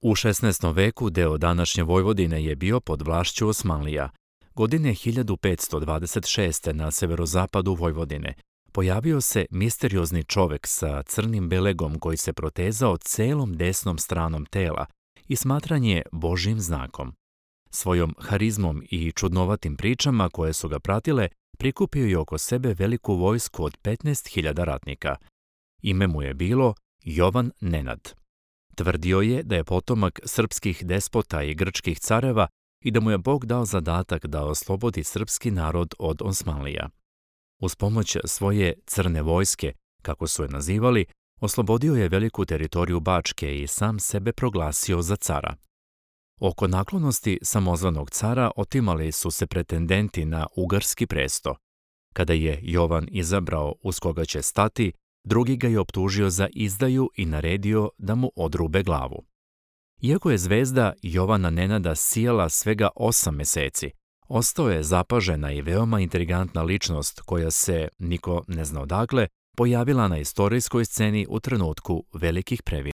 U 16. veku deo današnje Vojvodine je bio pod vlašću Osmanlija. Godine 1526. na severozapadu Vojvodine pojavio se misteriozni čovek sa crnim belegom koji se protezao celom desnom stranom tela i smatran je Božjim znakom. Svojom harizmom i čudnovatim pričama koje su ga pratile, prikupio je oko sebe veliku vojsku od 15.000 ratnika. Ime mu je bilo Jovan Nenad. Tvrdio je da je potomak srpskih despota i grčkih careva i da mu je Bog dao zadatak da oslobodi srpski narod od Osmanlija. Uz pomoć svoje crne vojske, kako su je nazivali, oslobodio je veliku teritoriju Bačke i sam sebe proglasio za cara. Oko naklonosti samozvanog cara otimali su se pretendenti na ugarski presto. Kada je Jovan izabrao uz koga će stati, drugi ga je optužio za izdaju i naredio da mu odrube glavu. Iako je zvezda Jovana Nenada sijala svega 8 meseci, ostao je zapažena i veoma intrigantna ličnost koja se, niko ne zna odakle, pojavila na istorijskoj sceni u trenutku velikih previranja.